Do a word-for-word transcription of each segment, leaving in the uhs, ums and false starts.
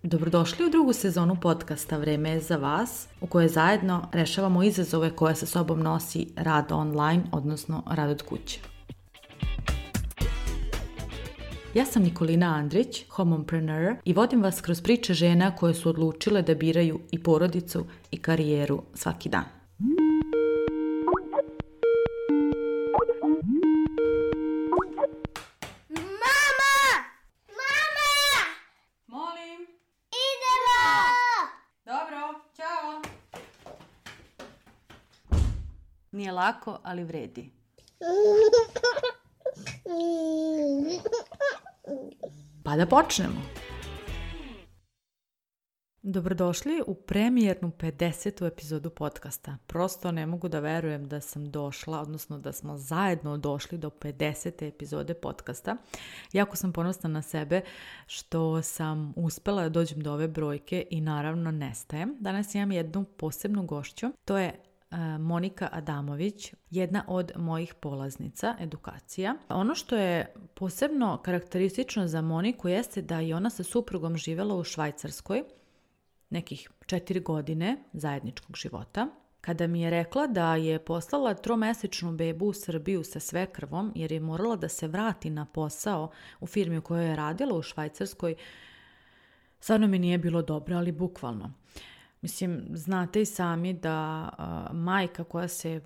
Dobrodošli u drugu sezonu podcasta Vreme je za vas, u kojoj zajedno rešavamo izazove koje sa sobom nosi rad online, odnosno rad od kuće. Ja sam Nikolina Andrić, homompreneur, i vodim vas kroz priče žena koje su odlučile da biraju i porodicu i karijeru svaki dan. Nije lako, ali vredi. Pa da počnemo. Dobrodošli u premijernu pedesetu epizodu podcasta. Prosto ne mogu da verujem da sam došla, odnosno da smo zajedno došli do pedesete epizode podcasta. Jako sam ponosna na sebe što sam uspela da dođem do ove brojke i naravno nestajem. Danas imam jednu posebnu gošću. To je Monika Adamović, jedna od mojih polaznica edukacija. Ono što je posebno karakteristično za Moniku jeste da je ona sa suprugom živjela u Švajcarskoj nekih četiri godine zajedničkog života. Kada mi je rekla da je poslala tromesečnu bebu u Srbiju sa svekrvom jer je morala da se vrati na posao u firmi u kojoj je radila u Švajcarskoj, stvarno mi nije bilo dobro, ali bukvalno. Mislim, znate i sami da uh, majka koja se,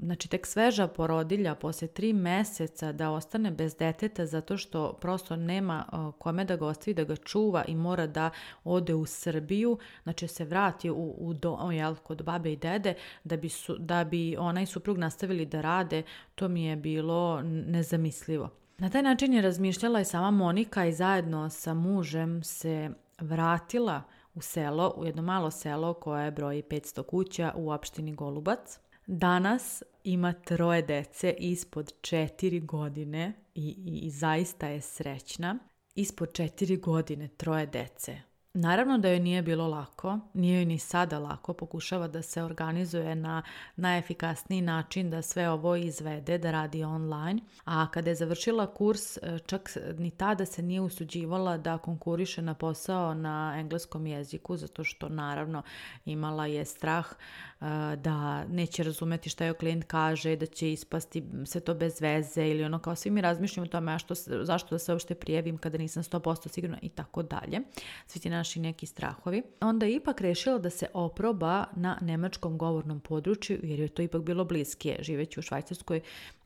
znači tek sveža porodilja poslije tri mjeseca da ostane bez deteta zato što prosto nema uh, kome da ga ostavi, da ga čuva i mora da ode u Srbiju, znači se vrati u, u dom, jel, kod babe i dede da bi, su, da bi ona i suprug nastavili da rade, to mi je bilo nezamislivo. Na taj način je razmišljala i sama Monika i zajedno sa mužem se vratila u selo, u jedno malo selo koje broji petsto kuća u opštini Golubac. Danas ima troje dece ispod četiri godine i, i, i zaista je srećna. Ispod četiri godine troje dece. Naravno da joj nije bilo lako, nije joj ni sada lako, pokušava da se organizuje na najefikasniji način da sve ovo izvede, da radi online. A kada je završila kurs, čak ni tada se nije usuđivala da konkuriše na posao na engleskom jeziku, zato što naravno imala je strah da neće razumeti šta joj klijent kaže, da će ispasti sve to bez veze ili ono kao svi mi razmišljamo o tome što, zašto da se uopšte prijavim kada nisam sto posto sigurna i tako dalje. Svi ti naši neki strahovi. Onda je ipak rešila da se oproba na nemačkom govornom području jer je to ipak bilo bliskije. Živeći u Švajcarskoj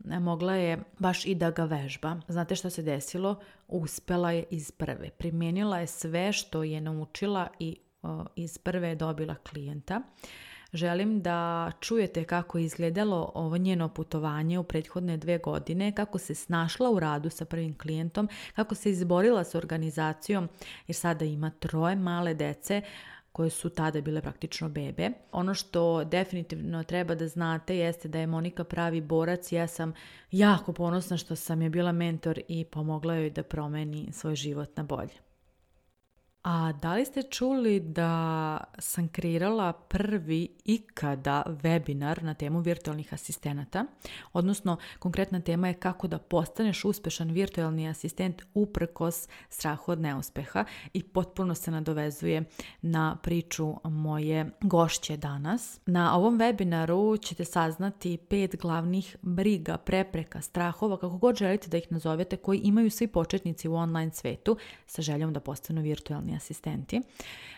mogla je baš i da ga vežba. Znate što se desilo? Uspela je iz prve. Primijenila je sve što je naučila i o, iz prve je dobila klijenta. Želim da čujete kako je izgledalo ovo njeno putovanje u prethodne dve godine, kako se snašla u radu sa prvim klijentom, kako se izborila s organizacijom jer sada ima troje male dece koje su tada bile praktično bebe. Ono što definitivno treba da znate jeste da je Monika pravi borac. Ja sam jako ponosna što sam je bila mentor i pomogla joj da promeni svoj život na bolje. A da li ste čuli da sam kreirala prvi ikada webinar na temu virtualnih asistenata? Odnosno, konkretna tema je kako da postaneš uspešan virtualni asistent uprkos strahu od neuspeha i potpuno se nadovezuje na priču moje gošće danas. Na ovom webinaru ćete saznati pet glavnih briga, prepreka, strahova, kako god želite da ih nazovete, koji imaju svi početnici u online svetu sa željom da postanu virtualni asistenti.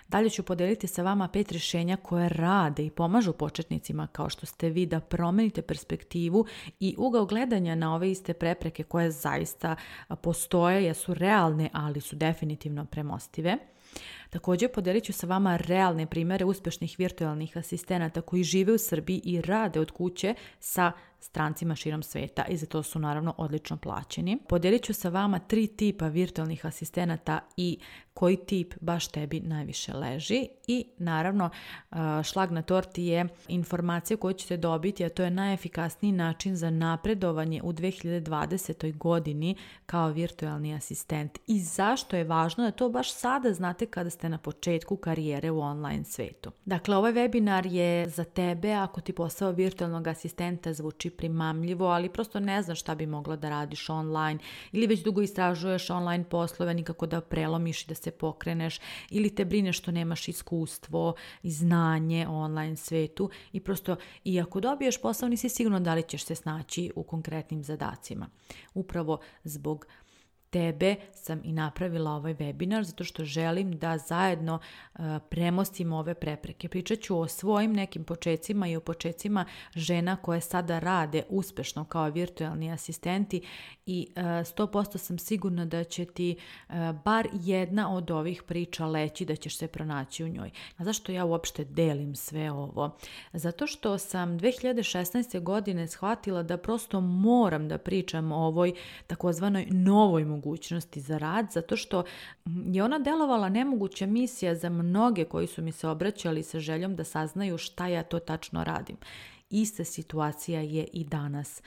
Dalje ću podeliti sa vama pet rješenja koje rade i pomažu početnicima kao što ste vi da promenite perspektivu i ugao gledanja na ove iste prepreke koje zaista postoje, jesu realne, ali su definitivno premostive. Također podelit ću sa vama realne primjere uspješnih virtualnih asistenata koji žive u Srbiji i rade od kuće sa strancima širom sveta i za to su naravno odlično plaćeni. Podelit ću sa vama tri tipa virtualnih asistenata i koji tip baš tebi najviše leži i naravno šlag na torti je informacija koju ćete dobiti, a to je najefikasniji način za napredovanje u dve hiljade dvadesetoj godini kao virtualni asistent i zašto je važno da to baš sada znate kada ste na početku karijere u online svetu. Dakle, ovaj webinar je za tebe ako ti posao virtualnog asistenta zvuči primamljivo, ali prosto ne znaš šta bi mogla da radiš online ili već dugo istražuješ online poslove, nikako da prelomiš i da se pokreneš ili te brine što nemaš iskustvo i znanje o online svetu i prosto i ako dobiješ posao nisi sigurno da li ćeš se snaći u konkretnim zadacima. Upravo zbog tebe sam i napravila ovaj webinar zato što želim da zajedno uh, premostimo ove prepreke. Pričat ću o svojim nekim počecima i o počecima žena koje sada rade uspešno kao virtualni asistenti i uh, sto posto sam sigurna da će ti uh, bar jedna od ovih priča leći, da ćeš se pronaći u njoj. A zašto ja uopšte delim sve ovo? Zato što sam dve hiljade šesnaeste. godine shvatila da prosto moram da pričam o ovoj takozvanoj novoj mogućnosti za rad, zato što je ona delovala nemoguća misija za mnoge koji su mi se obraćali sa željom da saznaju šta ja to tačno radim. Ista situacija je i danas.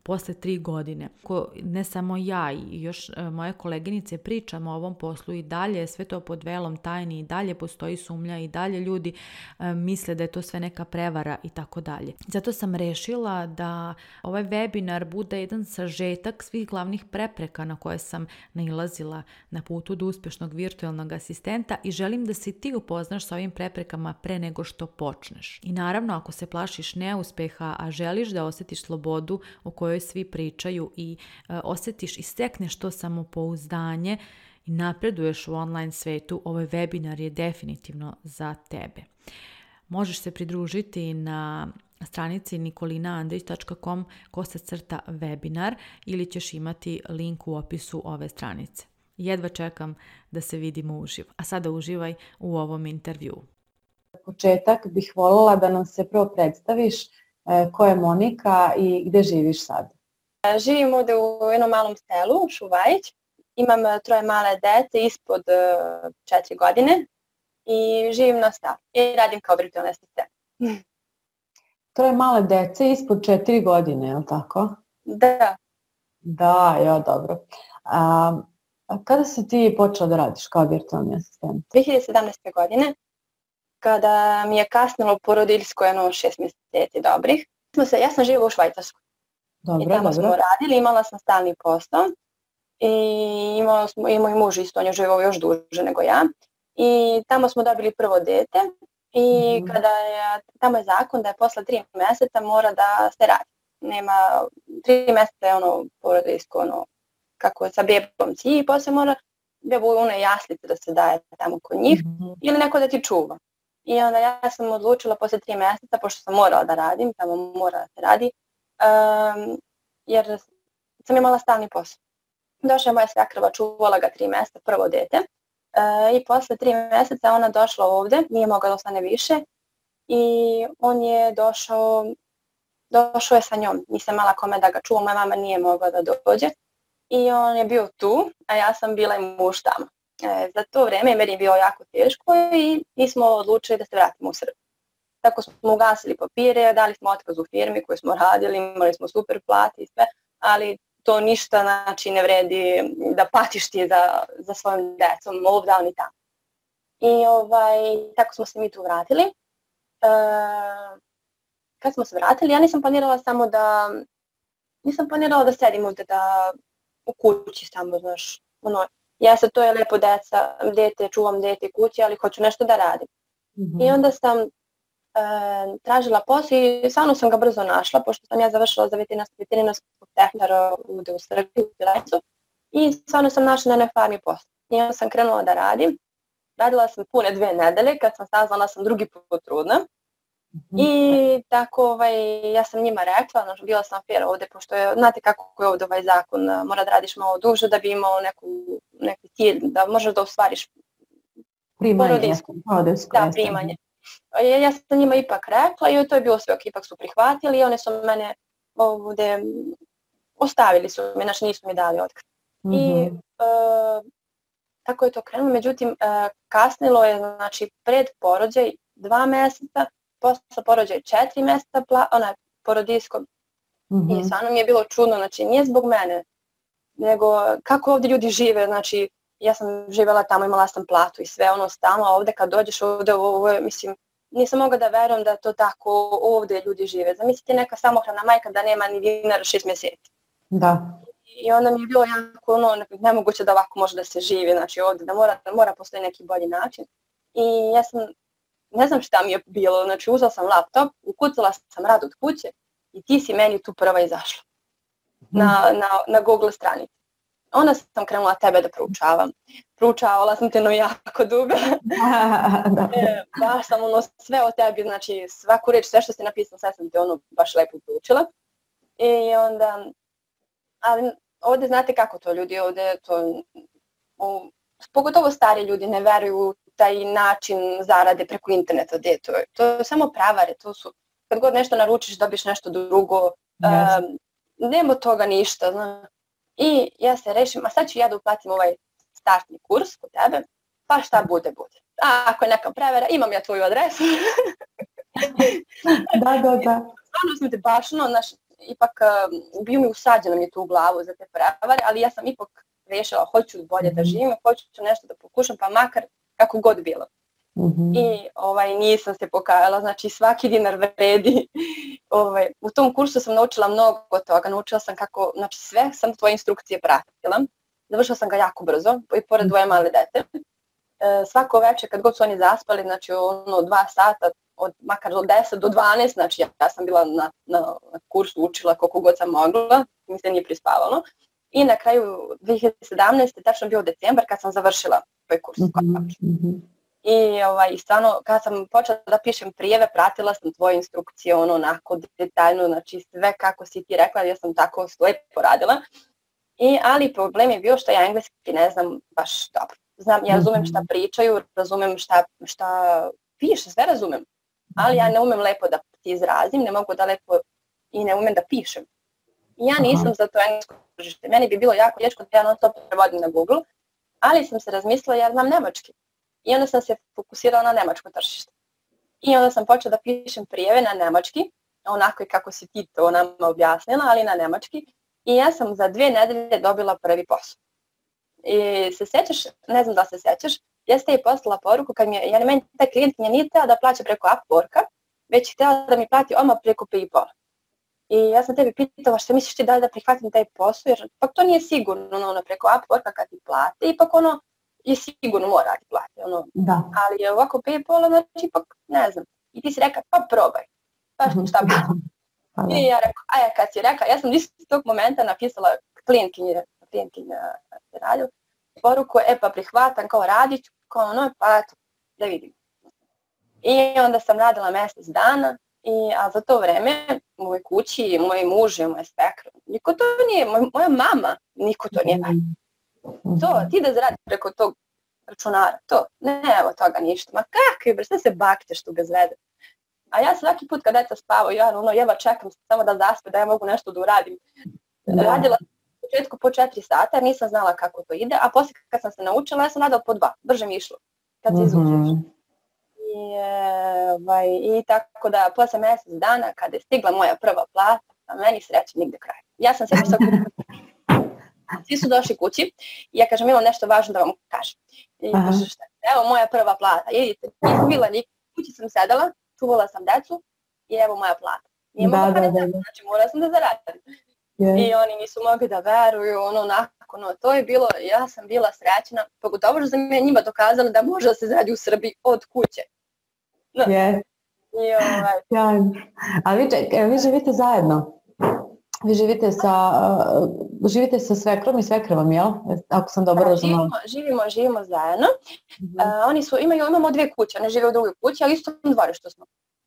Posle tri godine. Ko, ne samo ja i još e, moje koleginice pričamo o ovom poslu i dalje, sve to pod velom tajni i dalje postoji sumnja i dalje ljudi e, misle da je to sve neka prevara i tako dalje. Zato sam rešila da ovaj webinar bude jedan sažetak svih glavnih prepreka na koje sam nailazila na putu do uspešnog virtualnog asistenta i želim da se ti upoznaš sa ovim preprekama pre nego što počneš. I naravno, ako se plašiš neuspeha, a želiš da osjetiš slobodu o kojoj svi pričaju i e, osjetiš i stekneš to samopouzdanje i napreduješ u online svetu, ovaj webinar je definitivno za tebe. Možeš se pridružiti na stranici nikolina andrić tačka com kosacrta webinar ili ćeš imati link u opisu ove stranice. Jedva čekam da se vidimo uživo. A sada uživaj u ovom intervjuu. Za početak bih voljela da nam se prvo predstaviš ko je Monika i gde živiš sad? Živim ovde u jednom malom selu, Šuvajić. Imam troje male dece ispod četiri godine i živim na selu i radim kao virtualni asistent. Troje male dece ispod četiri godine, je li tako? Da. Da, ja, dobro. A, a kada si ti počela da radiš kao virtualni asistent? dve hiljade sedamnaeste. godine, kada mi je kasnilo porodiljsko jedno šest mjeseci dobrih. Se, ja sam živjela u Švajcarskoj. Dobro, I tamo dobro. smo radili, imala sam stalni posao i imao smo, i moj muž isto, on je živao još duže nego ja. I tamo smo dobili prvo dete i mm. kada je, tamo je zakon da je posle tri mjeseca mora da se radi. Nema, tri mjeseca je ono porodiljsko, ono, kako sa bebom ci i poslije mora bebu one jaslice da se daje tamo kod njih mm. ili neko da ti čuva. I onda ja sam odlučila poslije tri mjeseca, pošto sam morala da radim, tamo mora da se radi, um, jer sam imala stalni posao. Došla je moja svakrva, čuvala ga tri mjeseca, prvo dete. Uh, I posle tri mjeseca ona došla ovde, nije mogla da ostane više. I on je došao, došao je sa njom. Nisam imala kome da ga čuvam, moja mama nije mogla da dođe. I on je bio tu, a ja sam bila i muž tamo. E, za to vrijeme meni je bilo jako teško i mi smo odlučili da se vratimo u Srbiju. Tako smo ugasili papire, dali smo otkaz u firmi koju smo radili, imali smo super plati i sve, ali to ništa znači ne vredi da patiš ti za, za svojim decom, ovdje ni tamo. I ovaj, tako smo se mi tu vratili. E, kad smo se vratili, ja nisam planirala samo da, nisam planirala da sedim ovdje da u kući samo, znaš, ono, ja sad to je lepo deca, dete, čuvam dete kući, ali hoću nešto da radim. Mm-hmm. I onda sam e, tražila posao i stvarno sam ga brzo našla, pošto sam ja završila za veterinarskog tehničara ovdje u Srbiji, u Pilecu, i stvarno sam našla na jednoj farmi posao. I onda sam krenula da radim. Radila sam pune dve nedelje, kad sam saznala sam drugi put trudna. Mm-hmm. I tako ovaj, ja sam njima rekla, znači, bila sam fair ovdje, pošto je, znate kako je ovdje ovaj zakon, mora da radiš malo duže da bi imao neku, neki cilj, da možeš da ostvariš primanje. Da, primanje. Ja, ja sam njima ipak rekla i to je bilo sve ok, ipak su prihvatili i one su mene ovdje ostavili su me, znači nisu mi dali otkaz. Mm-hmm. I uh, tako je to krenulo, međutim uh, kasnilo je, znači pred porođaj dva mjeseca, posle porođaj četiri mjeseca, pla, onaj porodiljsko. Mm-hmm. I stvarno mi je bilo čudno, znači nije zbog mene, nego kako ovdje ljudi žive, znači ja sam živjela tamo, imala sam platu i sve ono stalno, ovdje kad dođeš ovdje, ovo je, mislim, nisam mogla da verujem da to tako ovdje ljudi žive. Zamislite neka samohrana majka da nema ni dinara šest mjeseci. Da. I onda mi je bilo jako ono, nemoguće da ovako može da se živi, znači ovdje, da mora, da mora postoji neki bolji način. I ja sam, ne znam šta mi je bilo, znači uzela sam laptop, ukucala sam rad od kuće i ti si meni tu prva izašla na, na, na Google stranici. Onda sam krenula tebe da proučavam. Proučavala sam te no jako dugo. e, baš sam ono sve o tebi, znači svaku reč, sve što si napisala, sve sam te ono baš lepo proučila. I onda, ali ovdje znate kako to ljudi ovdje, to, o, pogotovo stari ljudi ne veruju taj način zarade preko interneta. Gdje to je? To je samo pravare, to su, kad god nešto naručiš dobiš nešto drugo, yes. um, nema toga ništa, znaš. I ja se rešim, a sad ću ja da uplatim ovaj startni kurs kod tebe, pa šta bude, bude. A ako je neka prevara, imam ja tvoju adresu. da, da, da. Stvarno sam te baš, no, naš, ipak uh, bio mi usađeno mi tu u glavu za te prevare, ali ja sam ipak rešila, hoću bolje da živim, hoću nešto da pokušam, pa makar kako god bilo. Mm-hmm. I ovaj, nisam se pokajala, znači svaki dinar vredi. Ovaj, u tom kursu sam naučila mnogo toga, naučila sam kako, znači sve sam tvoje instrukcije pratila. Završila sam ga jako brzo, i pored dvoje male dete. E, svako večer kad god su oni zaspali, znači ono dva sata, od, makar od deset do dvanaest, znači ja, ja sam bila na, na, na kursu, učila koliko god sam mogla, mi se nije prispavalo. I na kraju dvije hiljade sedamnaeste, tačno bio decembar kad sam završila tvoj kurs. Mm-hmm. I ovaj, stvarno, kad sam počela da pišem prijeve, pratila sam tvoje instrukcije, ono, onako detaljno, znači sve kako si ti rekla, ja sam tako lepo radila. I, ali problem je bio što ja engleski ne znam baš dobro. Znam, ja razumem šta pričaju, razumem šta, šta piše, sve razumem. Ali ja ne umem lepo da ti izrazim, ne mogu da lepo i ne umem da pišem. I ja nisam za to englesko tržište. Meni bi bilo jako teško da ja non stop prevodim na Google, ali sam se razmislila, ja znam nemački. I onda sam se fokusirala na nemačko tržište. I onda sam počela da pišem prijeve na nemački, onako i kako si ti to nama objasnila, ali na nemački. I ja sam za dvije nedelje dobila prvi posao. I se sjećaš, ne znam da se sjećaš, ja ste i poslala poruku kad mi je, ja ne meni taj klijent nije nije htjela da plaća preko Upworka, već htjela da mi plati odmah preko PayPal. I ja sam tebi pitala šta misliš ti da li da prihvatim taj posao, jer pak to nije sigurno ono, preko Upworka kad ti plate, ipak ono, i sigurno mora ti plati, ono. Da. Ali ovako PayPal, znači ipak ne znam. I ti si rekla, pa probaj, pa šta bi. I ja rekla, a ja kad si rekla, ja sam iz tog momenta napisala klijentkinje, klijentkinje se radio, poruku, e pa prihvatam, kao radit ću, kao ono, pa eto, da vidim. I onda sam radila mjesec dana, i, a za to vreme u mojoj kući, moj muž i moj svekr, niko to nije, moj, moja mama, niko to nije valjda. To, ti da zaradiš preko tog računara, to, ne, evo toga ništa, ma kakvi bre, sve se bakćeš tu bez vede. A ja svaki put kad deca spavaju, ja ono, jeva čekam samo da zaspe, da ja mogu nešto da uradim. Da. Radila sam u početku po četiri sata, jer nisam znala kako to ide, a poslije kad sam se naučila, ja sam radila po dva, brže mi išlo, kad se izučiš. Mm-hmm. I, ovaj, I tako da, posle mjesec dana, kada je stigla moja prva plata, a meni sreće nigde kraja. Ja sam se sad svi su došli kući i ja kažem, imam nešto važno da vam kažem. I kažem, šta? Evo moja prva plata, idite, nisam bila nikad, kući sam sedala, čuvala sam decu i evo moja plata. Nije da, mogla da, da, da. Znači morala sam da zaradim. Yeah. I oni nisu mogli da veruju, ono nakon, no, to je bilo, ja sam bila srećna, pogotovo što sam ja njima dokazala da može da se zaradi u Srbiji od kuće. No. Yeah. I ovaj... Ja. Ali vi, ček, vi živite zajedno? Vi živite sa, uh, živite sa svekrom i svekrvom, jel? Ako sam dobro razumela. Živimo, živimo, živimo zajedno. Mm-hmm. Uh, oni su, imaju, imamo dvije kuće, ne žive u drugoj kući, ali isto u dvorištu smo.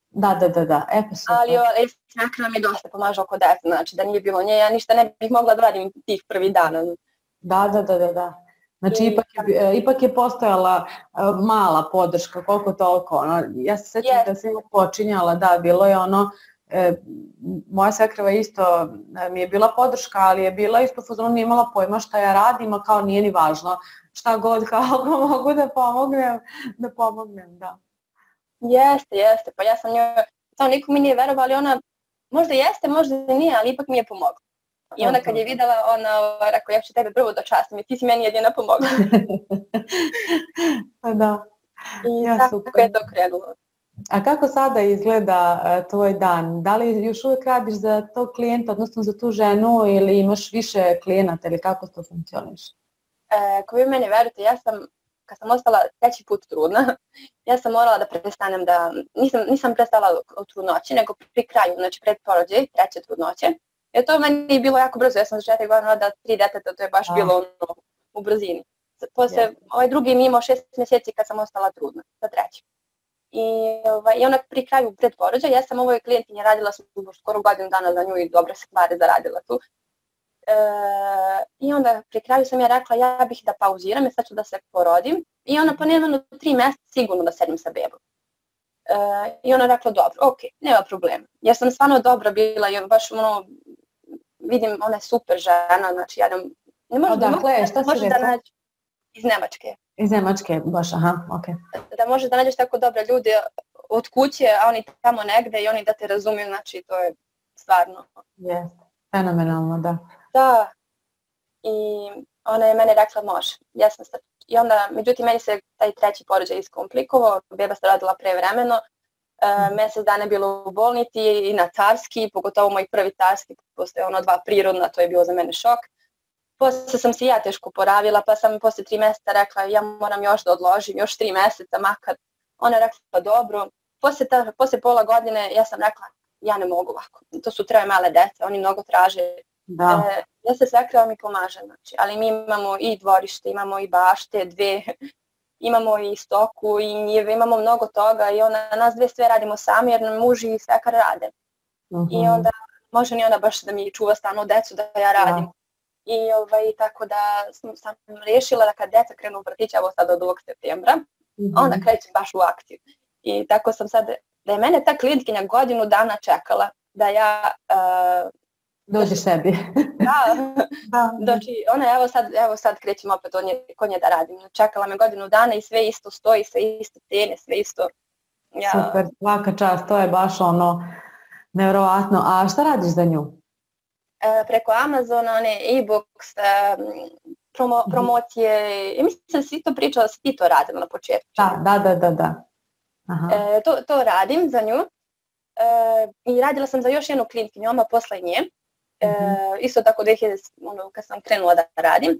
Da, da, da, da. E, pa ali svekra mi dosta pomaže oko dece, znači da nije bilo nje, ja ništa ne bih mogla da radim tih prvih dana. Da, da, da, da, da. Znači, I, ipak, je, ipak je postojala uh, mala podrška, koliko toliko. Ono. Ja se sjećam yes. da sam počinjala, da, bilo je ono, e, moja svekrva isto e, mi je bila podrška, ali je bila isto fuzonu, nije imala pojma šta ja radim, a kao nije ni važno. Šta god, kao mogu da pomognem, da pomognem, da. Jeste, jeste, pa ja sam njoj, samo niko mi nije verovao, ali ona, možda jeste, možda nije, ali ipak mi je pomogla. I onda kad je videla, ona rekao, ja ću tebe prvo dočastim i ti si meni jedina pomogla. Pa da. I ja, tako super. Je to krenulo. A kako sada izgleda uh, tvoj dan? Da li još uvijek radiš za tog klijenta, odnosno za tu ženu, ili imaš više klijenata ili kako to funkcioniše? E, ko vi meni verujete, ja sam, kad sam ostala treći put trudna, ja sam morala da prestanem da, nisam, nisam prestala u trudnoći, nego pri kraju, znači pred porođaj, treće trudnoće. Jer to meni je bilo jako brzo, ja sam za četiri godine rodila tri deteta, to je baš A. bilo ono, u brzini. Posle, yeah. ovaj drugi mi imao šest mjeseci kad sam ostala trudna, za treći. I, ovaj, i onda pri kraju pred porođaj, ja sam ovoj klijentinje radila skoro godinu dana za nju i dobre stvari zaradila tu. E, I onda pri kraju sam ja rekla ja bih da pauziram i sad ću da se porodim. I ona pa nema tri mjeseca sigurno da sedim sa bebom. E, I ona rekla dobro, ok, nema problema. Ja sam stvarno dobra bila i baš ono, vidim ona je super žena, znači ja ne, ne može, Odakle, ne, šta može si da nađe iz Njemačke. Iz Njemačke, baš, aha, ok. Da možeš da nađeš tako dobre ljude od kuće, a oni tamo negde i oni da te razumiju, znači to je stvarno. Jeste, fenomenalno, da. Da, i ona je meni rekla može. Ja sam sad, i onda, međutim, meni se taj treći porođaj iskomplikovao, beba se rodila prevremeno, e, mjesec dana je bilo u bolnici i na carski, pogotovo moj prvi carski, postoje ono dva prirodna, to je bio za mene šok. Poslije sam se ja teško poravila, pa sam poslije tri mjeseca rekla ja moram još da odložim, još tri mjeseca makar. Ona je rekla dobro. Poslije, ta, poslije pola godine ja sam rekla ja ne mogu ovako, to su troje male dece, oni mnogo traže. Da. E, ja se svekrava mi pomaže, znači, ali mi imamo i dvorište, imamo i bašte, dve, imamo i stoku i njive, imamo mnogo toga i ona, nas dve sve radimo sami jer nam muž i svekar rade. Uh-huh. I onda može ni ona baš da mi čuva stalno decu da ja radim. Da. I ovaj, tako da sam, sam rješila da kad deca krenu u vrtić, evo sad od ovog septembra, uh-huh. onda krećem baš u akciju. I tako sam sad, da je mene ta klijentkinja godinu dana čekala da ja... Uh, Dođi sebi. Da, da. Znači ona evo sad, evo sad krećem opet od nje, kod nje da radim. Čekala me godinu dana i sve isto stoji, sve isto cene, sve isto. Ja. Super, svaka čast, to je baš ono nevjerovatno. A šta radiš za nju? E, preko Amazona, one e-books, e, promo, promocije, i mislim da si to pričala, da si ti to radila na početku. Da, da, da, da. da. Aha. E, to, to radim za nju. E, I radila sam za još jednu klijentkinju, oma posle nje. E, mm-hmm. Isto tako dvije hiljade, ono, kad sam krenula da radim.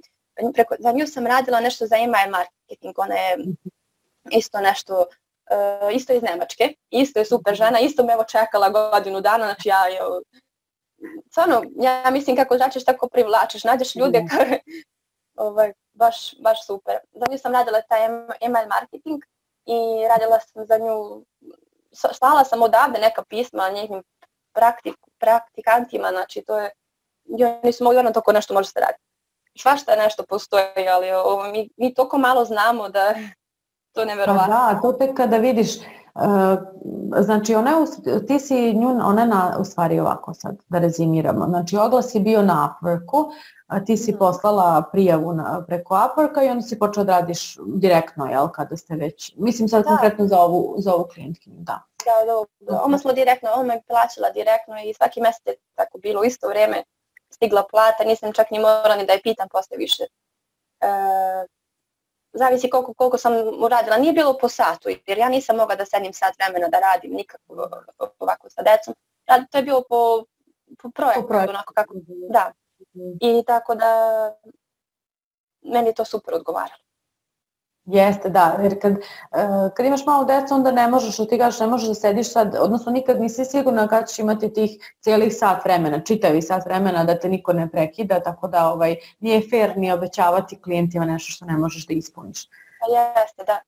Preko, za nju sam radila nešto za email marketing, ona je isto nešto, uh, isto iz Njemačke, isto je super žena, isto me evo čekala godinu dana, znači ja, ja stvarno, ja mislim kako začeš tako privlačiš, nađeš ljude koje, ovaj, baš, baš super. Za nju sam radila taj email marketing i radila sam za nju, slala sam odavde neka pisma njihim praktik, praktikantima, znači to je, oni su mogli ono toko nešto može se raditi. Svašta nešto postoji, ali ovo, mi, mi toliko malo znamo da to je nevjerovatno. Da, to tek kada vidiš, uh, znači ona, ti si nju, ona na, u stvari ovako sad, da rezimiramo, znači oglas je bio na Upworku, a ti si poslala prijavu na, preko Upworka i onda si počela da radiš direktno, jel, kada ste već, mislim sad da. Konkretno za ovu, za ovu klijentkinju, da. Da, da, da. Oma smo direktno, ona me plaćala direktno i svaki mjesec je tako bilo, u isto vrijeme stigla plata, nisam čak ni morala ni da je pitam poslije više. E, zavisi koliko, koliko sam uradila, nije bilo po satu, jer ja nisam mogla da sedim sat vremena da radim nikako ovako sa decom. To je bilo po, po projektu, po projektu. Onako kako, da. I tako da meni to super odgovaralo. Jeste, da, jer kad, kad imaš malo djeca onda ne možeš, ti kažeš ne možeš da sediš sad, odnosno nikad nisi sigurna kada ćeš imati tih cijelih sat vremena, čitavi sat vremena da te niko ne prekida, tako da ovaj, nije fair ni obećavati klijentima nešto što ne možeš da ispuniš. Jeste, da.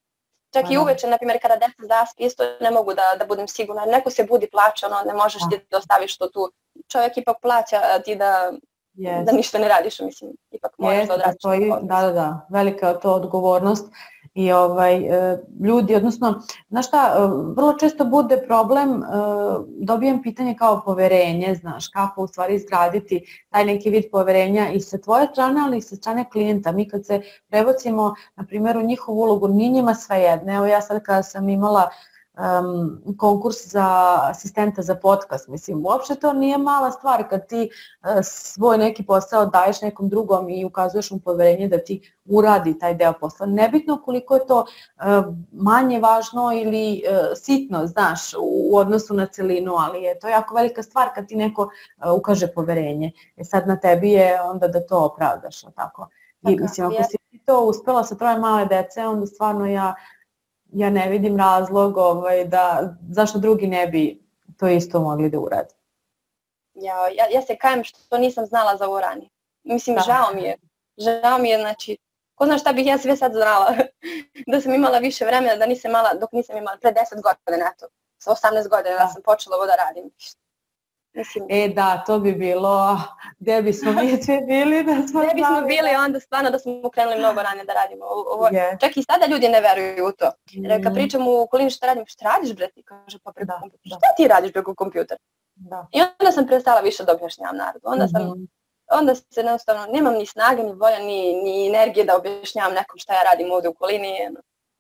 Čak Ano. I uveče, na primjer, kada deca zaspi, isto ne mogu da, da budem sigurna, neko se budi plaća, ono, ne možeš ti da ostaviš to tu, čovjek ipak plaća ti da... Yes. Da ništa ne radiš, mislim, ipak moraš yes, da odradiš. Da, da, da, velika je to odgovornost i ovaj, ljudi, odnosno, znaš šta, vrlo često bude problem, dobijem pitanje kao poverenje, znaš, kako u stvari izgraditi taj neki vid poverenja i sa tvoje strane, ali i sa strane klijenta. Mi kad se prebacimo, na primjer, u njihovu ulogu, nije njima svejedno. Evo ja sad kada sam imala um, konkurs za asistenta za podcast. Mislim, uopšte to nije mala stvar kad ti uh, svoj neki posao daješ nekom drugom i ukazuješ mu poverenje da ti uradi taj deo posla. Nebitno koliko je to uh, manje važno ili uh, sitno, znaš, u, u odnosu na celinu, ali je to jako velika stvar kad ti neko uh, ukaže poverenje. E sad na tebi je onda da to opravdaš, tako? I mislim, ako si to uspela sa troje male dece, onda stvarno ja, ja ne vidim razlog ovaj, da, zašto drugi ne bi to isto mogli da uradi. Ja, ja, ja se kajem što nisam znala za ovo ranije. Mislim, da. žao mi je. Žao mi je, znači, ko zna šta bih ja sve sad znala. Da sam imala više vremena, da nisam imala, dok nisam imala pre deset godina, eto, sa osamnaest godina da sam počela ovo da radim. Mislim, e da, to bi bilo, gde bismo mi sve bili da smo gde bismo bili onda stvarno da smo krenuli mnogo ranije da radimo. Ovo, yes. Čak i sada ljudi ne veruju u to. Jer kad pričam u okolini šta radim, šta radiš bre ti? Kaže pa preko kompjutera. Šta ti radiš preko kompjutera? Da. I onda sam prestala više da objašnjavam narodu. Onda sam, mm-hmm. onda se jednostavno, nemam ni snage, ni volja, ni, ni energije da objašnjavam nekom šta ja radim ovdje u okolini.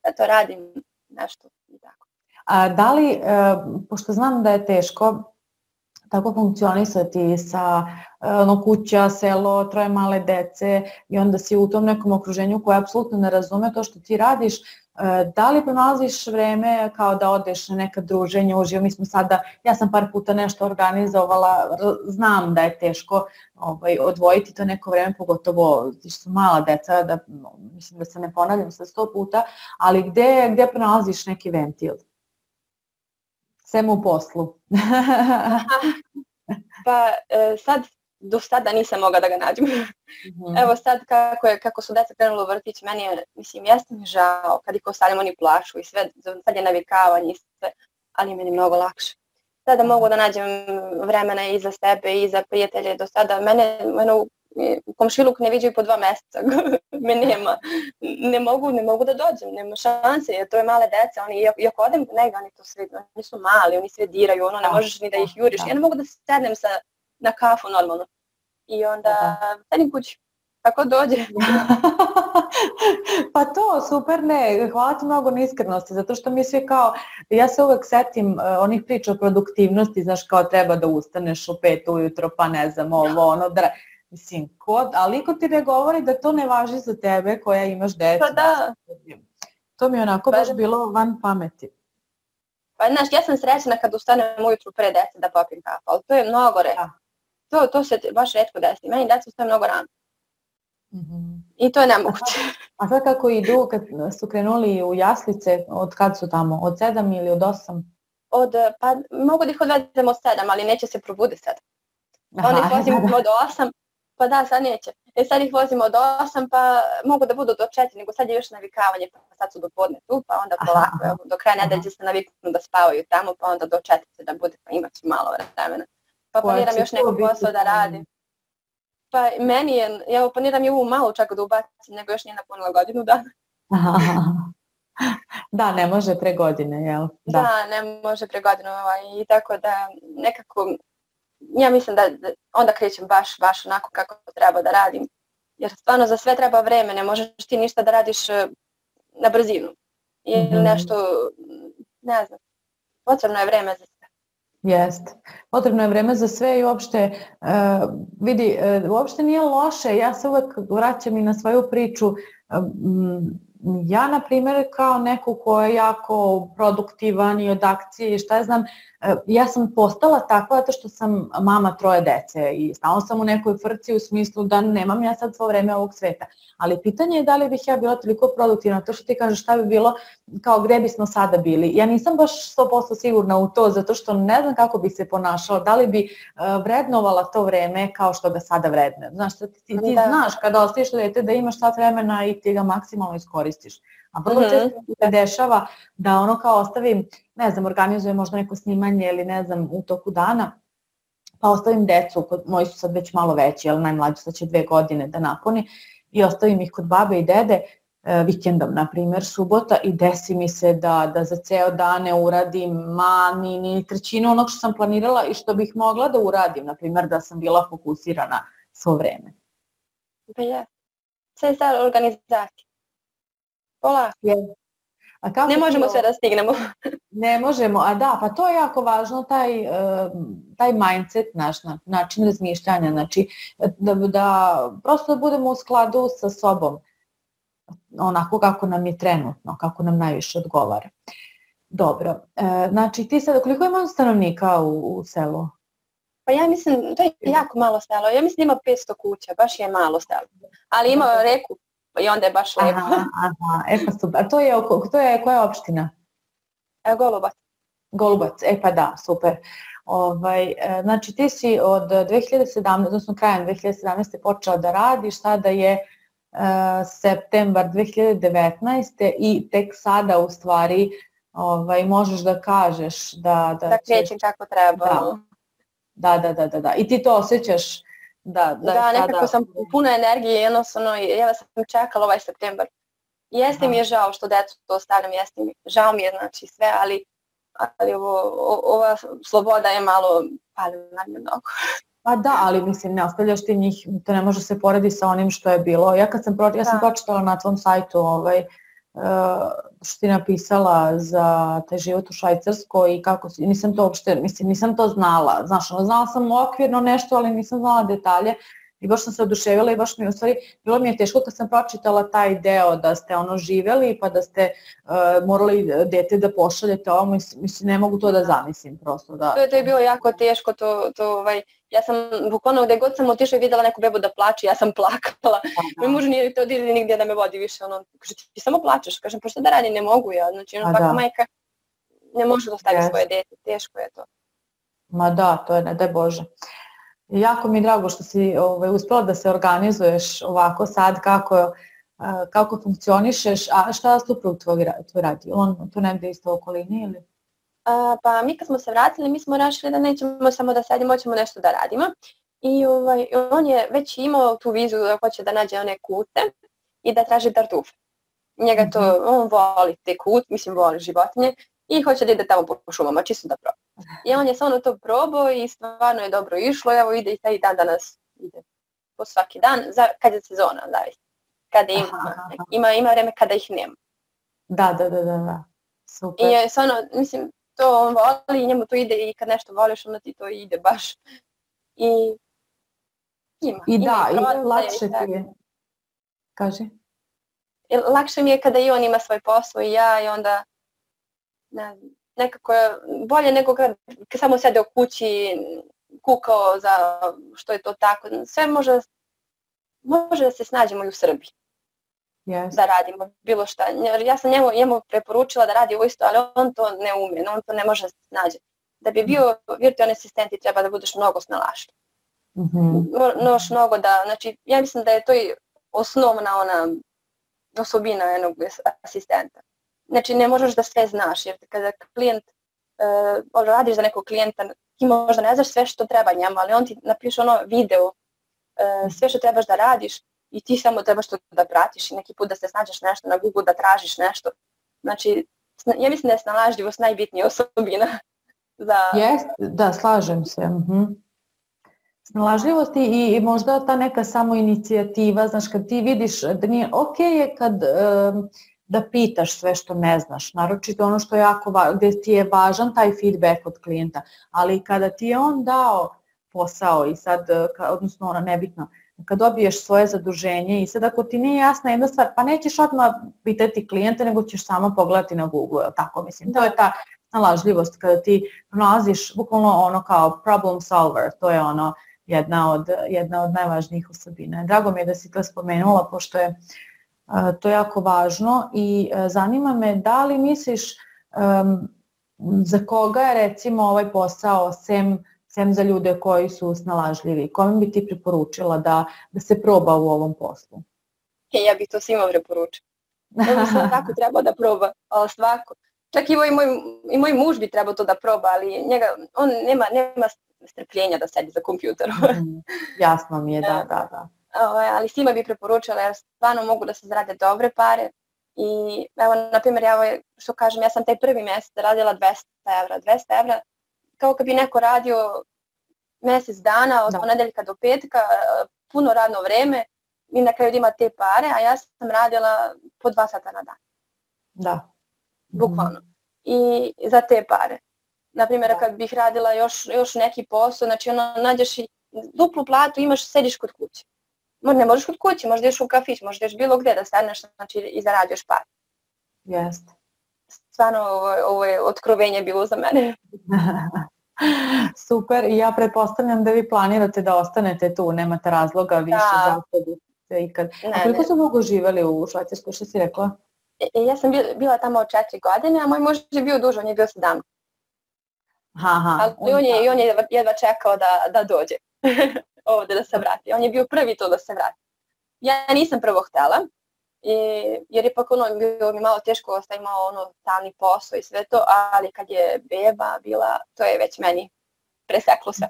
Eto, radim nešto i tako. A da li, uh, pošto znam da je teško tako funkcionisati sa ono, kuća, selo, troje male dece i onda si u tom nekom okruženju koje apsolutno ne razume to što ti radiš, da li pronalaziš vreme kao da odeš na neka druženja uživo? Mi smo sada, ja sam par puta nešto organizovala, znam da je teško ovaj, odvojiti to neko vreme, pogotovo što su mala deca, da, mislim da se ne ponavljam sa sto puta, ali gde, gde pronalaziš neki ventil? Sem u poslu. Pa sad, do sada nisam mogla da ga nađem. Mm-hmm. Evo sad kako, je, kako su deca krenula u vrtić, meni je, mislim, jeste mi žao kad ih ostavljam, oni plašu i sve, sad je navikavanje i sve, ali meni je mnogo lakše. Sada mogu da nađem vremena i za sebe i za prijatelje. Do sada mene, mene u komšiluk ne viđaju po dva mjeseca, me nema, ne mogu, ne mogu da dođem, nema šanse, jer to je male deca, oni, iako odem negdje, oni to sve, oni su mali, oni sve diraju, ono, ne možeš ni da ih juriš, ja ne mogu da sednem sa, na kafu normalno, i onda sedim kući, tako dođe. Pa to, super, ne, hvala ti mnogo na iskrenosti, zato što mi svi kao, ja se uvek setim uh, onih priča o produktivnosti, znaš, kao treba da ustaneš u pet ujutro, pa ne znam, ovo, ono, da... Mislim, kod, ali ko ti ne govori da to ne važi za tebe koja imaš decu. Pa da. To mi je onako baš bilo van pameti. Pa znaš, ja sam srećna kad ustanem ujutru pre dece da popim kafu, ali to je mnogo retko. To, to se baš retko desi. Meni deca ustaje mnogo rano. Mm-hmm. I to je nemoguće. A sad kako idu, kad su krenuli u jaslice, od kad su tamo? Od sedam ili od osam? Od, pa mogu da ih odvedem od sedam, ali neće se probudi sad. Onda ih vozim od osam. Pa da, sad neće. E sad ih vozimo od osam, pa mogu da budu do četiri, nego sad je još navikavanje, pa sad su do podne tu, pa onda polako, evo, do kraja nedelje se naviknu da spavaju tamo, pa onda do četiri da bude, pa imat ću malo vremena. Pa planiram još neko posao da radim. Pa meni je, ja planiram i ovu malu čak da ubacim, nego još nije napunila godinu dana. Da, ne može pre godine, jel? Da, da ne može pre godinu, ovaj, i tako da nekako... Ja mislim da onda krećem baš, baš onako kako treba da radim. Jer stvarno za sve treba vreme, ne možeš ti ništa da radiš na brzinu. Ili mm-hmm. nešto, ne znam, potrebno je vreme za sve. Jeste. Potrebno je vreme za sve i uopšte, uh, vidi, uh, uopšte nije loše. Ja se uvek vraćam i na svoju priču. Um, ja, na primjer, kao neko ko je jako produktivan i od akcije i šta ja znam, ja sam postala takva zato što sam mama troje dece i stalno sam u nekoj frci u smislu da nemam ja sad svo vreme ovog sveta. Ali pitanje je da li bih ja bila toliko produktivna, to što ti kažeš šta bi bilo, kao gde bismo sada bili. Ja nisam baš sto posto sigurna u to zato što ne znam kako bi se ponašala, da li bi vrednovala to vreme kao što ga sada vredne. Znaš, ti, ti da. znaš kada ostaviš dete da imaš sat vremena i ti ga maksimalno iskoristiš. A vrlo često se dešava da ono kao ostavim, ne znam, organizujem možda neko snimanje ili ne znam u toku dana, pa ostavim decu, moji su sad već malo veći, ali najmlađi sad će dve godine da napuni, i ostavim ih kod babe i dede vikendom, na primjer, subota, i desi mi se da, da za ceo dan ne uradim ma, ni, ni trećinu onog što sam planirala i što bih mogla da uradim, na primjer da sam bila fokusirana svo vreme. Pa ja, sve je stvar organizacija. Polako. A kako ne možemo ti, sve da stignemo. Ne možemo, a da, pa to je jako važno, taj, taj mindset naš, način razmišljanja, znači da, da prosto da budemo u skladu sa sobom, onako kako nam je trenutno, kako nam najviše odgovara. Dobro, znači ti sad, koliko ima stanovnika u, u selu? Pa ja mislim, to je jako malo selo, ja mislim ima petsto kuća, baš je malo selo, ali ima reku i onda je baš lepo. Aha, aha, e pa super, a to je, to je koja je opština? Golubac. Golubac, e pa da, super. Ovaj, znači ti si od dve hiljade sedamnaeste, odnosno krajem dve hiljade sedamnaeste počela da radiš, sada je uh, septembar dve hiljade devetnaeste i tek sada u stvari ovaj, možeš da kažeš da... Da, da krećem kako treba. Da. Da, da, da, da, da. I ti to osjećaš? Da, da, da nekako sada... sam puna energije, jednostavno, ja sam čekala ovaj septembar. Jeste mi je žao što decu to ostavljam, jeste mi, žao mi je znači sve, ali, ali ovo, ova sloboda je malo palila na mnogo. Pa da, ali mislim, ne ostavljaš ti njih, to ne može se poredi sa onim što je bilo. Ja kad sam, pro, ja sam pročitala na tvom sajtu ovaj, uh, što ti napisala za taj život u Švajcarskoj i kako si, nisam to uopšte, mislim, nisam to znala. Znaš, ono, znala sam okvirno nešto, ali nisam znala detalje. I baš sam se oduševila i baš mi u stvari bilo mi je teško kad sam pročitala taj deo da ste ono živjeli pa da ste uh, morali dete da pošaljete ovo, mislim, mislim ne mogu to da zamislim prosto. Da. To, je, to je bilo jako teško, to, to, ovaj, ja sam bukvalno gde god sam otišla i vidjela neku bebu da plače, ja sam plakala. Moj muž nije to odili nigdje da me vodi više, ono, kaže ti samo plačeš, kažem pa šta da radim, ne mogu ja, znači ono, svaka majka ne može da ostavi yes. svoje dete, teško je to. Ma da, to je, ne daj Bože. Jako mi je drago što si ovaj, uspjela da se organizuješ ovako sad, kako, kako funkcionišeš, a šta suprug tvoj, tvoj radi? On tu negdje isto u okolini ili? A, pa mi kad smo se vratili, mi smo rešili da nećemo samo da sedimo, hoćemo nešto da radimo. I ovaj, on je već imao tu viziju da hoće da nađe one kute i da traži tartufe. Njega to, mm-hmm. on voli te kut, mislim voli životinje i hoće da ide tamo po šumama, čisto da proba. I on je samo to probao i stvarno je dobro išlo, evo ide i taj dan danas ide po svaki dan, za, kad je sezona, zavis. Kada ima, aha, aha. ima, ima vreme kada ih nema. Da, da, da, da, super. I stvarno, mislim, to on voli i njemu to ide i kad nešto voliš, onda ti to ide baš. I ima. I ima da, i, i lakše ti je. Kaži. I lakše mi je kada i on ima svoj posao i ja i onda, ne znam, nekako je bolje nego kad, kad samo sede u kući, kukao za što je to tako. Sve može, može da se snađemo i u Srbiji. Yes. Da radimo bilo šta. Ja sam njemu, njemu preporučila da radi ovo isto, ali on to ne umije, on to ne može da se snađe. Da bi bio virtualni asistent treba da budeš mnogo snalašljiv. Mm-hmm. Noš mnogo da, znači ja mislim da je to i osnovna ona osobina jednog asistenta. Znači ne možeš da sve znaš, jer kada klijent, uh, radiš za nekog klijenta, ti možda ne znaš sve što treba njemu, ali on ti napiše ono video, uh, sve što trebaš da radiš i ti samo trebaš to da pratiš i neki put da se snađeš nešto na Google, da tražiš nešto. Znači, ja mislim da je snalažljivost najbitnija osobina. Za... Jest, da, slažem se. Uh-huh. Snalažljivost i, i možda ta neka samo inicijativa, znaš, kad ti vidiš da nije ok je kad... Um, da pitaš sve što ne znaš, naročito ono što je jako važno, gdje ti je važan taj feedback od klijenta, ali kada ti je on dao posao i sad, odnosno ono nebitno, kad dobiješ svoje zaduženje i sad ako ti nije jasna jedna stvar, pa nećeš odmah pitati klijente, nego ćeš samo pogledati na Google, tako mislim, to je ta snalažljivost kada ti nalaziš bukvalno ono kao problem solver, to je ono jedna od, jedna od najvažnijih osobina. Drago mi je da si to spomenula, pošto je to je jako važno i zanima me da li misliš um, za koga je recimo ovaj posao sem, sem za ljude koji su snalažljivi, kome bi ti preporučila da, da se proba u ovom poslu? Ja bih to svima preporučila. Ja sam tako trebao da proba, ali svako. Čak i moj, moj, i moj muž bi trebao to da proba, ali njega, on nema, nema strpljenja da sedi za kompjuterom. Mm, jasno mi je, da, da, da. Ali svima bi preporučila jer stvarno mogu da se zarade dobre pare i evo na primjer ja što kažem ja sam taj prvi mjesec radila dvesta evra, dvesta evra kao kad bi neko radio mjesec dana od ponedeljka do petka, puno radno vreme i na kraju ima te pare, a ja sam radila po dva sata na dan. Da. bukvalno. I za te pare. Naprimjer, kad bih radila još, još neki posao, znači ono, nađeš i duplu platu, imaš, sediš kod kuće. Ne možeš kod kuće, možda ideš u kafić, možda ideš bilo gdje da staneš, znači i zarađuješ par. Jeste. Stvarno, ovo, ovo je otkrovenje bilo za mene. Super, i ja pretpostavljam da vi planirate da ostanete tu, nemate razloga više da. za ikad. A koliko su dugo živjeli u Švajcarskoj, što si rekla? E, ja sam bila tamo četiri godine, a moj muž je bio duže, on je bio sedam. Aha, ali on je, on je jedva čekao da, da dođe ovdje da se vrati. On je bio prvi to da se vrati. Ja nisam prvo htjela, i, jer je pak ono, bilo mi malo teško, ostaje imao ono stalni posao i sve to, ali kad je beba bila, to je već meni preseklo sve.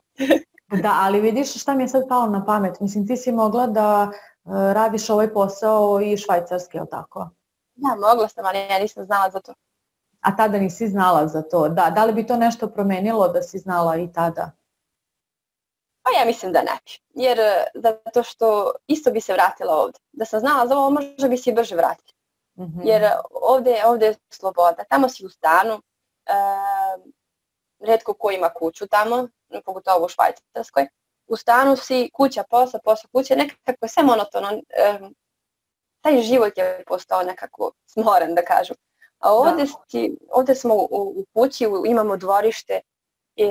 Da, ali vidiš šta mi je sad palo na pamet. Mislim, ti si mogla da uh, radiš ovaj posao i švajcarski, je li tako? Da, mogla sam, ali ja nisam znala za to. A tada nisi znala za to. Da, da li bi to nešto promenilo da si znala i tada? Pa ja mislim da ne bi. Jer zato što isto bi se vratila ovdje. Da sam znala za ovo, možda bi se i brže vratila. Mm-hmm. Jer ovdje, ovdje je sloboda. Tamo si u stanu. E, retko ko ima kuću tamo, pogotovo u Švajcarskoj. U stanu si, kuća, posao, posao, kuća. Nekako je sve monotono. E, taj život je postao nekako smoran, da kažu. A ovdje, si, ovdje smo u, u kući, u, imamo dvorište, i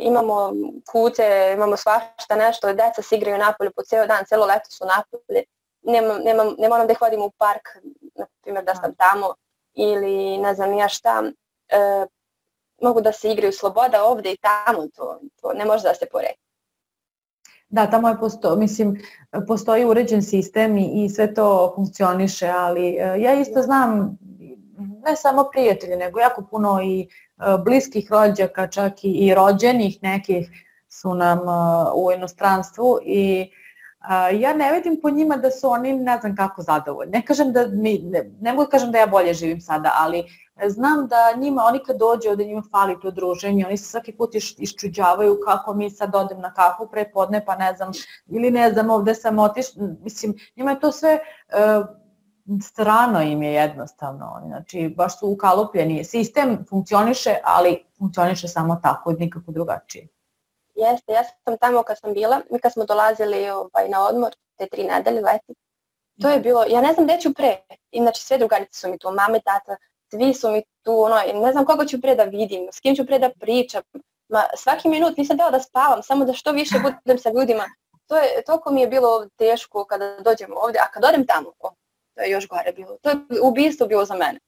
imamo kute, imamo svašta nešto, djeca se igraju napolju po cijelo dan, cijelo leto su napolje. Nema, nema, ne moram da hodim u park, na primjer da sam tamo, ili ne znam ja šta. E, mogu da se igraju sloboda ovdje i tamo, to, to ne može da se poredi. Da, tamo je posto, mislim, postoji uređen sistem i, i sve to funkcioniše, ali ja isto znam, ne samo prijatelje, nego jako puno i bliskih rođaka, čak i, i rođenih nekih su nam uh, u inostranstvu i uh, ja ne vidim po njima da su oni ne znam kako zadovoljni. Ne kažem da mi, ne, ne mogu da kažem da ja bolje živim sada, ali znam da njima, oni kad dođe ovdje njima fali to druženje, oni se svaki put iš, iščuđavaju kako mi sad odem na kafu pre podne, pa ne znam, ili ne znam, ovdje sam otiš, mislim, njima je to sve... Uh, strano im je jednostavno, znači baš su ukalupljeni. Sistem funkcioniše, ali funkcioniše samo tako, nikako drugačije. Jeste, ja sam tamo kad sam bila, mi kad smo dolazili ovaj, na odmor, te tri nedelje leti, to je bilo, ja ne znam gdje ću pre, inače sve drugarice su mi tu, mame, tata, svi su mi tu, ono, ne znam koga ću pre da vidim, s kim ću pre da pričam, ma, svaki minut nisam dala da spavam, samo da što više budem sa ljudima, to je, toliko mi je bilo teško kada dođem ovdje, a kad odem tamo, oh, to je još gore bilo. To je ubistvo bilo za mene.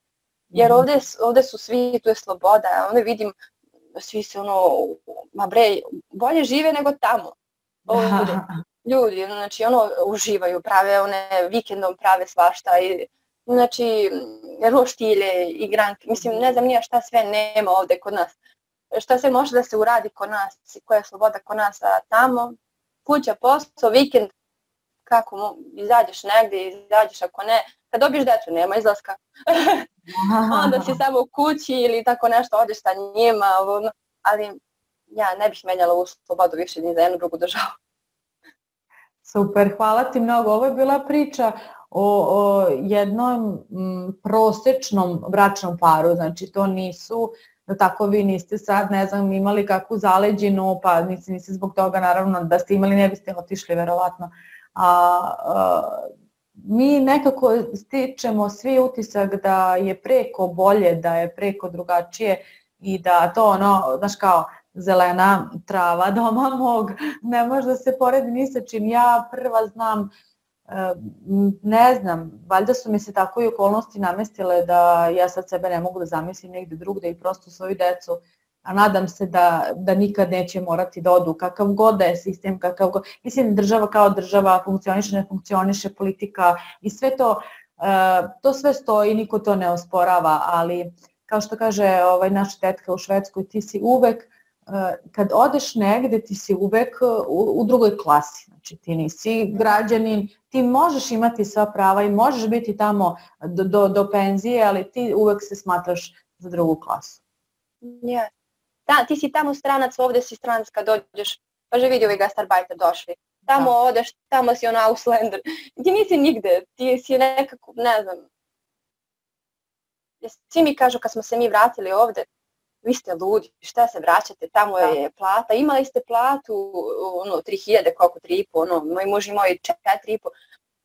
Jer ovdje, ovdje su svi, tu je sloboda, onda vidim, svi se ono, ma bre, bolje žive nego tamo. Ovdje. Ljudi, znači ono, uživaju, prave one, vikendom prave svašta, i, znači, roštilje, igranke, mislim, ne znam nija šta sve nema ovdje kod nas. Šta sve može da se uradi kod nas, koja je sloboda kod nas, a tamo, kuća, posao, vikend, kako izađeš negdje, izađeš ako ne, kad dobiješ djecu nema izlaska, onda si samo u kući ili tako nešto, odeš sa njima, ali ja ne bih menjala u slobodu više ni za jednu drugu državu. Super, hvala ti mnogo. Ovo je bila priča o, o jednom m, prosečnom bračnom paru, znači to nisu, da tako vi niste sad, ne znam, imali kakvu zaleđinu, pa niste, niste zbog toga naravno da ste imali, ne biste otišli verovatno. A, a mi nekako stičemo svi utisak da je preko bolje, da je preko drugačije i da to ono, znaš kao, zelena trava doma mog, ne može da se poredi ni sa čim. Ja prva znam, ne znam, valjda su mi se tako i okolnosti namestile da ja sad sebe ne mogu da zamislim negdje drugde i prosto svoju decu, a nadam se da, da nikad neće morati da odu, kakav god da je sistem, kakav god, mislim država kao država funkcioniše, ne funkcioniše, politika i sve to, to sve stoji, niko to ne osporava, ali kao što kaže ovaj, naša tetka u Švedskoj, ti si uvek, kad odeš negde, ti si uvek u, u drugoj klasi, znači ti nisi građanin, ti možeš imati sva prava i možeš biti tamo do, do, do penzije, ali ti uvek se smatraš za drugu klasu. Ja. Da, ti si tamo stranac, ovdje si stranac kad dođeš, pa že vidi ovi gastarbajter došli. Tamo da. Odeš, tamo si on Auslander. Ti nisi nigde, ti si nekako, ne znam, jer svi mi kažu kad smo se mi vratili ovde, vi ste ludi, šta se vraćate, tamo je plata, imali ste platu, ono, tri hiljade, koliko, tri i po, ono, moj muž imao i četiri i po,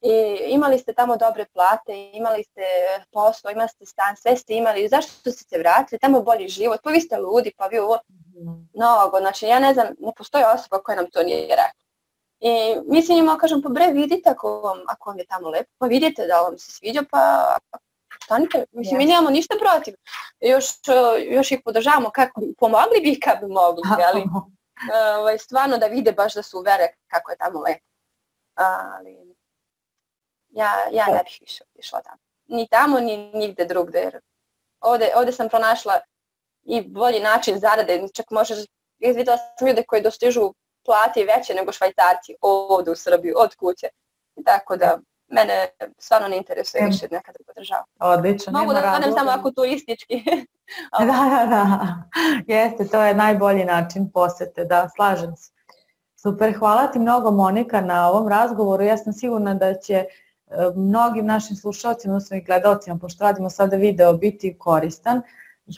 i imali ste tamo dobre plate, imali ste posao, imali ste stan, sve ste imali, zašto ste se vratili, tamo je bolji život, pa vi ste ludi, pa vi ovo, mnogo, znači ja ne znam, ne postoji osoba koja nam to nije rekla. I mi se njima kažem, pa bre, vidite ako vam, ako vam je tamo lepo, pa vidite da vam se sviđa, pa stanite, mislim, mi nemamo ništa protiv. Još, još ih podržavamo kako pomogli bi kad bi mogli, ali ovaj, stvarno da vide baš da su uvere kako je tamo lepo. Ali ja, ja ne bih više išla tamo. Ni tamo, ni nigde drugde. Jer ovde, ovde sam pronašla i bolji način zarade, čak možeš, vidjela sam ljude koji dostižu plati veće nego Švajcarci ovde u Srbiji, od kuće. Tako da mene stvarno ne interesuje više neka druga država. Odlično. Mogu da odem samo ako turistički. Da, da, da. Jeste, to je najbolji način posete, da, slažem se. Super, hvala ti mnogo Monika na ovom razgovoru. Ja sam sigurna da će mnogim našim slušalcima, odnosno i gledalcima, pošto radimo sada video, biti koristan.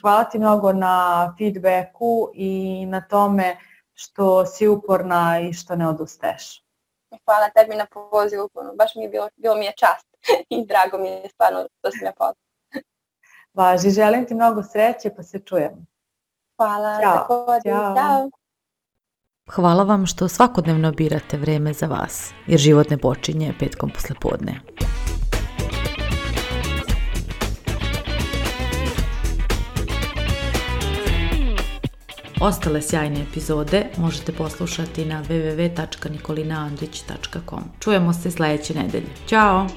Hvala ti mnogo na feedbacku i na tome što si uporna i što ne odustaješ. Hvala tebi na pozivu, baš mi je bilo, bilo mi je čast i drago mi je stvarno što si me pozvala. Važi, želim ti mnogo sreće, pa se čujemo. Hvala, Ćao. također, ćao. Hvala vam što svakodnevno birate vreme za vas, jer život ne počinje petkom poslepodne. Ostale sjajne epizode možete poslušati na w w w tačka nikolina andrić tačka com. Čujemo se sljedeće nedelje. Ćao!